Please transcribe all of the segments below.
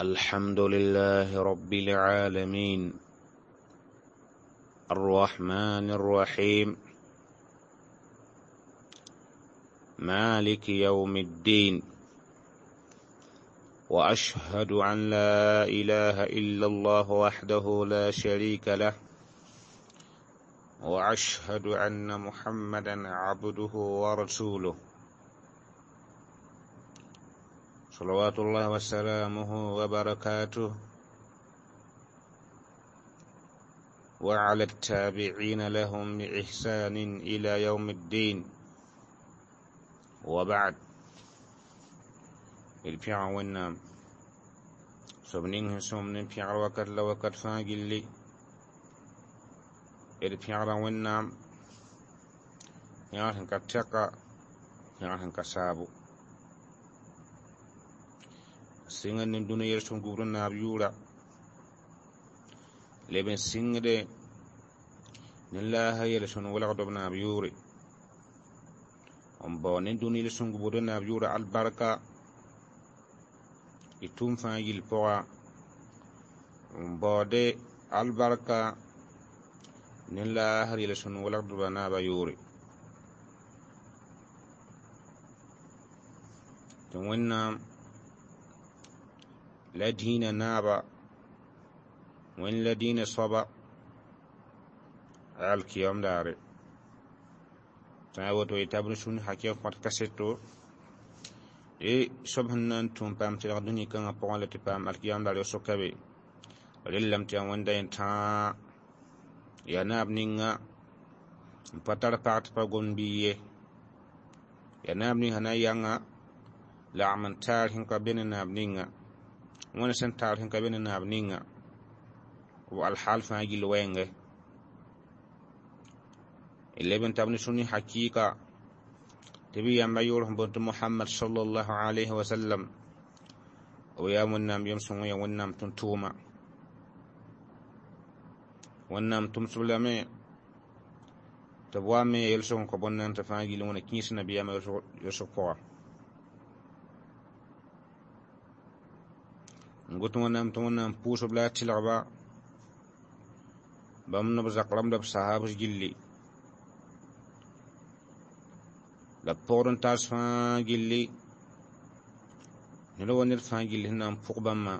الحمد لله رب العالمين الرحمن الرحيم مالك يوم الدين وأشهد أن لا إله إلا الله وحده لا شريك له وأشهد أن محمدا عبده ورسوله صلوات الله وسلامه وبركاته وعلى التابعين لهم بإحسان إلى يوم الدين وبعد البيع والنام سبنين سمن بيع وكت لوكت فاجلي البيع والنام يا كتشكا يا كسابو sɩnga ne dũni yel-sõm gubd n naab yʋʋra leb n sɩngde ne laasa yel-sõnd welgd b naab yʋʋre n bao ne dũni yel-sõm gubd n naab yʋʋra albarka y tʋʋm fãa gill pʋga n baoode albarka ne laasr yel-sõnd welgdba naaba yʋʋre tɩ Wẽnnaam la dĩinã naaba wẽnd la dĩinã soaba alkiyam daare tã a woto yeta b sũn hakɩg kõt kaseto e soab sẽn na n tũum paam tɩlg dũni kãngã pʋgẽ la tɩ paam alkiyam daar soka be rellame tɩ yaa wẽnda yẽ tãa yaa naab ninga n pa tar pag tɩ pa gomd bɩ ye yaa naab ning sẽn na n yãnga lagm n taar sẽn ka be ne naab ninga wẽnd sẽn taar sẽn ka be ne naab ninga b alhaal fãa gill wɛɛngẽ d leb n tab ne sũni hakɩɩka tɩ bɩ yãmba yʋʋr sẽn boond tɩ Mohamad sallallahu alayhi wa sallam b yaa Wẽnnaam yem-sõng yaa Wẽnnaam tʋm-tʋʋma Wẽnnaam tʋmsb lame tɩ b wa me yel-sõng n kõ bõn-nan tɩ fãa gill wẽna kĩis nabiyaamã yʋsg pʋga n got Wẽnnaam tɩ Wẽnnaam pʋʋsb la a tɩlgba bãmb ne b zak rãmb la b sahabs gilli la b pogd n taas fãa gilli ned wa ned fãa gilli sẽn na n pʋg bãmba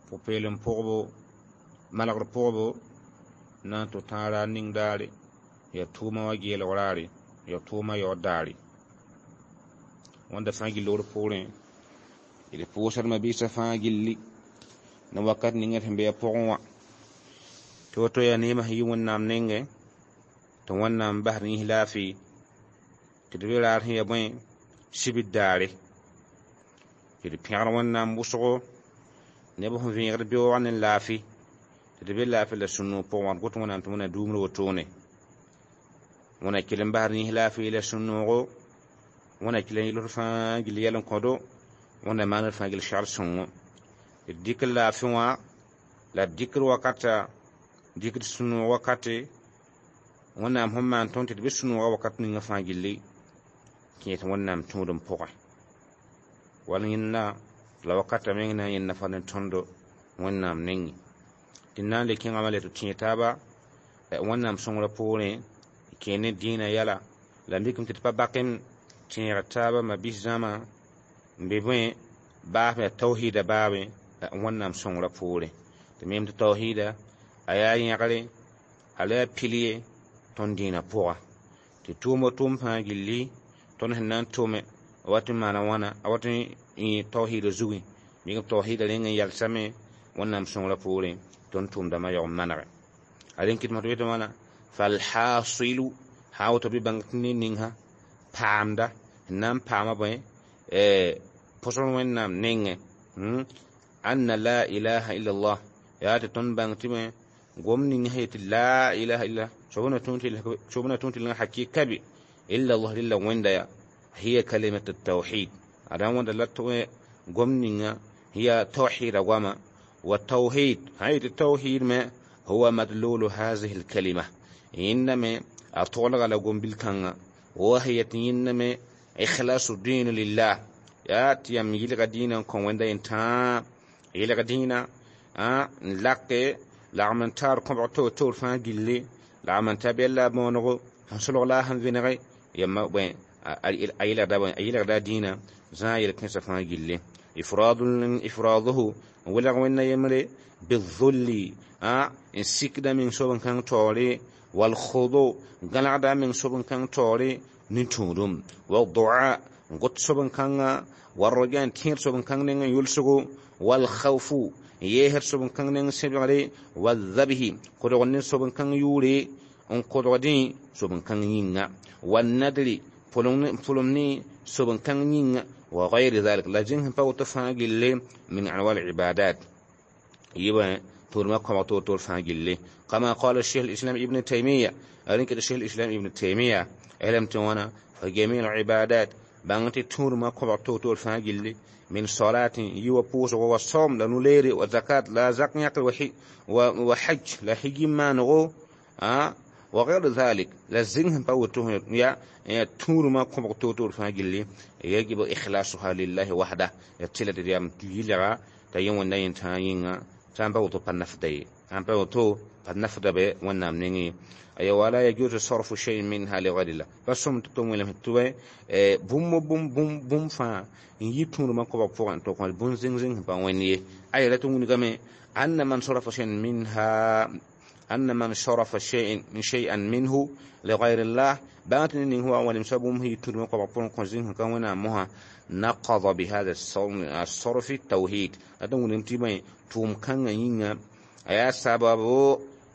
pʋ-peelem pʋgbo malgr pʋgbo na n tʋ tãag raar ning daare yaa tʋʋma wã geelg raare yaa tʋʋma yaood daare wẽnda fãa gill d poorẽ d pʋʋsdmã mabiisã fãa gilli ne wakat ninga d sẽn be a pʋgẽ wã tɩ woto yaa neemã sẽn yi Wẽnnaam nengẽ tɩ Wẽnnaam basd yĩs laafɩ tɩ d be raar sẽn ya bõe sibid daare tɩ d pẽgr Wẽnnaam wʋsgo neb sẽn vẽegd beoogã ne laafɩ tɩ d be laafɩ la sũ-noog pʋgẽ wã d got Wẽnnaam tɩ Wẽnnaam duumd wotone Wẽnna kell n basd yĩs laafɩ la sũ-noogo Wẽnna kell n yels fãa gill yɛl n kõdo Wẽnna maand fãa gill segl sõngo d dɩk laafɩ wã la d dɩkd wakata dɩkd sũ-noog wakate Wẽnnaam sẽn maan tõnd tɩ d be sũ-noogã wakat ninga fãa gilli kẽes Wẽnnaam tũudem pʋgẽ wall yẽnda la wakata meng na n yẽnda fa ne tõndo Wẽnnaam nengẽ tɩ na n le kẽngame la tɩ tẽeg taaba Wẽnnaam sõngrã poorẽ kẽ ne dĩinã yɛla la mikame tɩ d pa bak n tẽeg taaba mabiis zãma n be bõe baasem yaa tawhiida baabẽ Wẽnnaam sõngrã poorẽ tɩ mem tɩ tawhiida a yaa yẽgre a la yaa pil ye tõnd dĩinã pʋga tɩ tʋʋm tʋʋm fãa gilli tõnd sẽn na n tʋme a wat n maana wãna a wat n yẽ tawhiida zugẽ mik tawhiida reng n yalsame Wẽnnaam sõngrã poorẽ tõnd tʋʋmdãmã yaoog n manege a rẽn kɩtme tɩ b yetɩ wãna falhasilu sã n woto bɩ bãng tɩ ned ning sã paamda sẽn na n paama bõe pʋsg Wẽnnaam nengẽ anna la ilaha illallah yaa tɩ tõnd bãng tɩ bõe gom ning sẽn yetɩ la ilaha illallah soab na tũud tɩ hakɩɩka be illa allah rɩla Wẽnda ya hiya kalimat tawhid a ra wẽnda la gom ninga hiya tawhida goama wa tawhid sã yetɩ tawhid me huwa madlulu hazihi lkalima yẽnda me a toglga la gom-bil kãnga wa hiya tɩ yẽnda me ikhlasu din lillah Yaa tɩ yãmb yɩlga dĩinã n kõ wẽnda yẽn tãa yɩlg dĩinã n lake lagm n taar kõbg toor-toor fãa gilli lagm n ta bɛl la a bõonego sẽn solg la a sẽn vẽnege yãmba bõe a yɩlgda dĩinã zãa yel-kẽnsã fãa gilli ifraaduhu n welg wẽnna yembre bizulli n sikda meng soab n kãng taoore walkhudu gãlgda meng soab n kãng taoore ne tũudum wa dua n got soab n kãnga warroja n tẽed soab n kãng neng n yʋlsgo walkhawfu n yeesd soab n kãng neng sẽbgre wazabhi kodg ne soab n kãng yʋʋre n kodgdẽ soab n kãng yĩnga wanadri pʋlem ne soab n kãng yĩnga wa gayri zalik la zĩng sẽn pa woto fãa gilli min anwa libadat yɩbã tʋʋdmã kõbg toor-toor fãa gilli kama qala cheikh lislam ibn taimiya rẽn ket cheikh lislam ibn taimiya elem tɩ wãna fa jami libadat bãng tɩ tũudmã kõbg toor-toor fãa gilli min salatin yiwa pʋʋsgo wa saum la nuleere wa zakat la zak yãkr wa hajj la hijim maanego wa غير ذلك la zĩng sẽn pa woto ya tũudmã kõbg toor-toor fãa gilli yajibu ikhlasuha lillahi wahda ya tɩla tɩ yam yɩlga t'a yẽ wẽnda yẽ tãa yĩnga sã n pa woto pa nafda ye sã n pa woto pa nafda be wẽnnaam nengẽ aya wala yajuzu sarfu shay'in minha li ghayrillah pa sõm tɩ tʋm welem tɩ bũmb bũmb bũmb fãa n yi tũudmã koabg pʋgẽ tɩ kõ bũn zĩng-zĩng sẽn pa wẽnd ye aya la tɩ wilgame anna man sarafa shay'an minha أن من شرف شيئا منه لغير الله بات هو ولم سبهم هي ترمق وقفون قزين كونا مها نقض بهذا الصرف التوحيد هذا ونمتي توم كان ينغا أيا سبب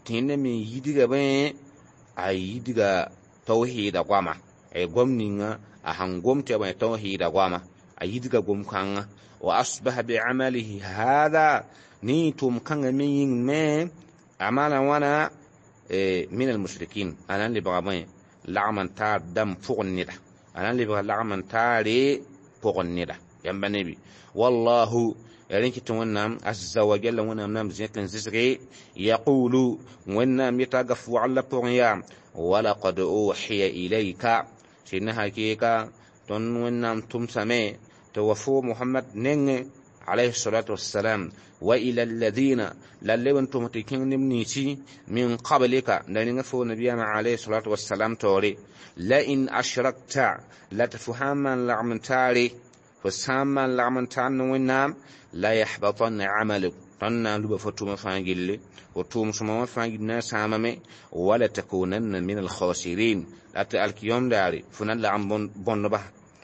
تين من يدغ بين أي يدغ توحيد قواما أي قوم نينغا أهان قوم تبا توحيد قواما أي يدغ قوم كان وأصبح بعمله هذا ني توم كان من ين أعمالا وانا من المشركين أنا اللي بغى بين لعمن تار دم فوق الندى أنا اللي بغى لعمن تاري فوق الندى ينبا نبي والله يرينك تونام عز وجل ونام نام زيت زسري يقول ونام يتقف على بوريا ولقد أوحي إليك سنها كيكا تون ونام تمسمي توفو محمد نين عليه الصلاة والسلام وإلى الذين للي أنتم تكين نمنيتي من قبلك لأن نبينا عليه الصلاة والسلام توري لئن أشركت لتفهم لعمتاري فساما لعمتان ونام لا يحبطن عملك طنا لب فتوم فانجل وتوم سما فانجل ساممي ولا تكونن من الخاسرين لا الكيوم داري فنان لعم بون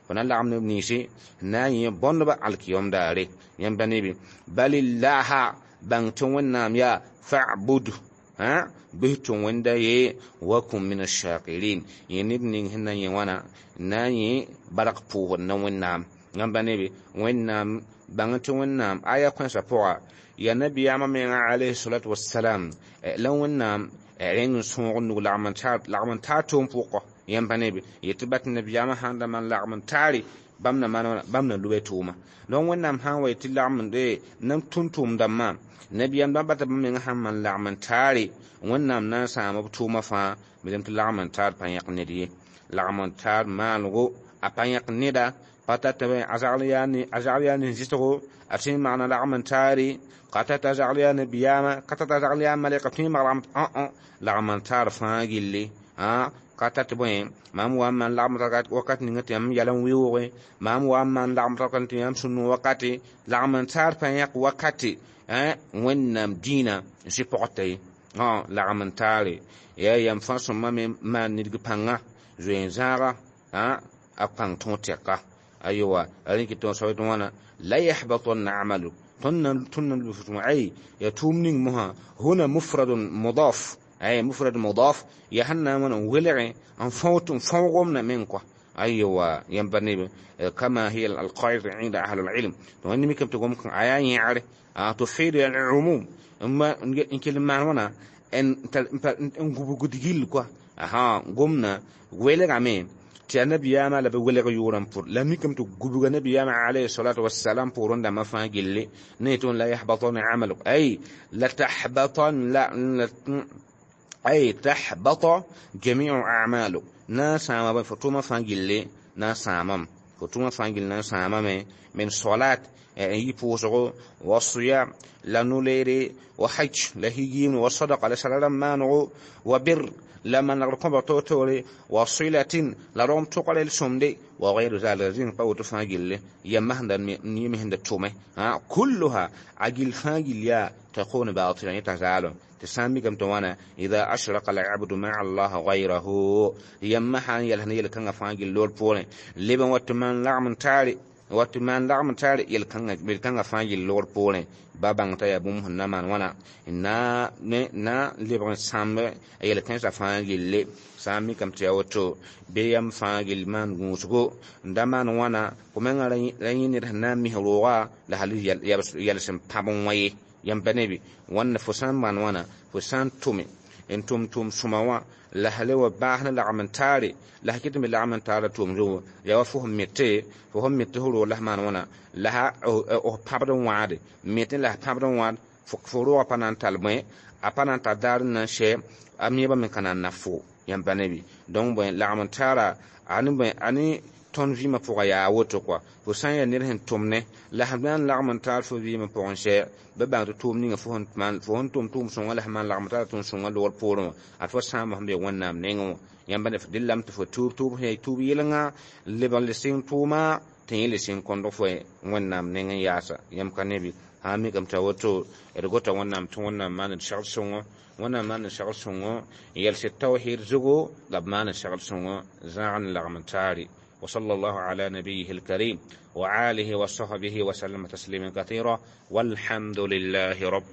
فنان لعم نبنيسي ناي بون الكيوم داري ينبني بي بل الله بان تونام يا فاعبد ها به توندا ي وكن من الشاكرين ينبني هنا يوانا ناي برق بو نونام ينبني بي وينام بان تونام آية كنسا بوغا يا نبي يا عليه الصلاة والسلام لو نام رين سونغ لعمن تاتوم فوقه ينبني بي يتبت النبي يا محمد من لعمن تاري bãmb na maan bãmb na loe tʋʋma donc wẽnnaam sã n wa tɩ lagm n nam tʋm-tʋʋmdãmbã nabiyaam dãmb bata bãmb meng sãn maan lagm n taare wẽnnaam na n sãam b tʋʋma fãa bɩ tɩ lagm n taar pa yãk ned ye lagm n taar maanego a pa yãk neda pa tata a zagl yaa ne zɩsgo a tõe n maana lagm n taare ka tata a zagl yaa nabiyaamã ka tata a zagl yaa malɛka tõe n mag lagm n taar fãa gilli ka tat bõe mam wa n maan lagm wakat ninga tɩ yãmb yɛl n wɩʋʋge mam wa n maan lagm wakat tɩ yãmb sũ-no wakate lagm n taar pa yãk wakate wẽnnaam dĩinã n sɩ pɔgta ye lagm n taare yaa yam fãa sõma me maan nidg pãnga zoe-zãaga a pãng tõog tɛka ayowa rẽ kɩ tɩ soab tɩ wãna la yahbatanna amaluk tõnd na lʋf ay ya tʋʋm ning mosã huna mufradun mudaf أي مفرد مضاف يهنا من ولع أن فوت فوقمنا منك أيوة ينبني كما هي القاعدة عند أهل العلم وأن ممكن تقوم آية يعرف تفيد العموم أما إن كلمة هنا إن إن قدجيل كوا أها قمنا ولع مين tɩ a nabiyaamã la b welg yʋʋrã pʋr la mikame tɩ gubga nabiyaamã alayhi salatu wassalam pʋʋrẽ dãmbã fãa gilli ne tɩ la yahbatana amaluk ay la tahbatan la أي تحبط جميع أعماله نا ساما فتوما فانجلي نا سامم Fo tʋʋmã fãa gill na n sãamame. Min solat n yi pʋʋsgo, wa siyam la no-leere, wa hajj la higiimd, wa sadaqa la sara rãmb maanego, wa bir la manegr kõbg toor-toore, wa silatin la rogem tʋgra l sõmde, wa gayru zalika, zĩnd pa woto fãa gilli yamba sẽn da yẽ me sẽn da tʋme. Kulluha, a gill fãa gill yaa takunu batilan, yẽ t'a zaalem tɩ sã n mikame tɩ wãna ida ashraka alabdu maa allah gayrahu, yãmba sã n yɛls ne yel-kãngã fãa gill loor poorẽ, leb n wa tɩ maan lagm n taare, wa tɩ maan lagm n taare yel-kãngã fãa gill loor poorẽ, ba bãng t'a yaa bũmb sẽn na maan wãna na lebg n sãmb yel-kãensã fãa gilli. Sã n mikame tɩ yaa woto bɩ yam fãa gill maan gũusgo n da maan wãna, fo mengã ra yẽ ned sẽn na n mis rooga la hal yɛls n pãb n wã ye. Yãmb pa nebi wãnda, fo sã n maan wãna, fo sã n tʋme n tʋm tʋʋm sõma wã la hale wa baas ne lagm n taare, la sã kɩt n be lagm n taara tʋʋm zugu, yaa wa fo sẽn mete, fo sẽn mete fo roog la s maan wãna la f pãbd n wãade mete la s pãbd n wãad fo roogã pa na n tall bõe, a pa na n tar daar n na n sɛ a meebã me ka na n na fo. Yãmb pa nebi donc bõe lagm n taara ani bõe ani tõnd vɩɩmã pʋga yaa woto kɔa. Fo sã n yaa ned sẽn tʋm ne la sẽn na n lagm n taar fo vɩɩmã pʋgẽ sɛ, bɩ bãng tɩ tʋʋm ninga fo sẽn tʋm tʋʋm sõngã la sẽn maan lagm taara tʋʋm sõngã loogr poorẽ wã, ad fo sãamba sẽn be Wẽnnaam nengẽ wã. Yãmb ne dɩllame tɩ fo tuub tʋʋb sẽn yaa tuub yelengã lebg n le sɩng tʋʋma tɩ yẽ le sɩng kõdg fo Wẽnnaam nengẽ yaasa. Yãmb ka nebi sã n mikame t'a woto, d gota Wẽnnaam tɩ Wẽnnaam maan d segl sõngo, Wẽnnaam maan d segl sõngo n yɛls tawhid zugu la b maan d segl sõngo zãag n lagm n taare. وصلى الله على نبيه الكريم وآله وصحبه وسلم تسليما كثيرا، والحمد لله رب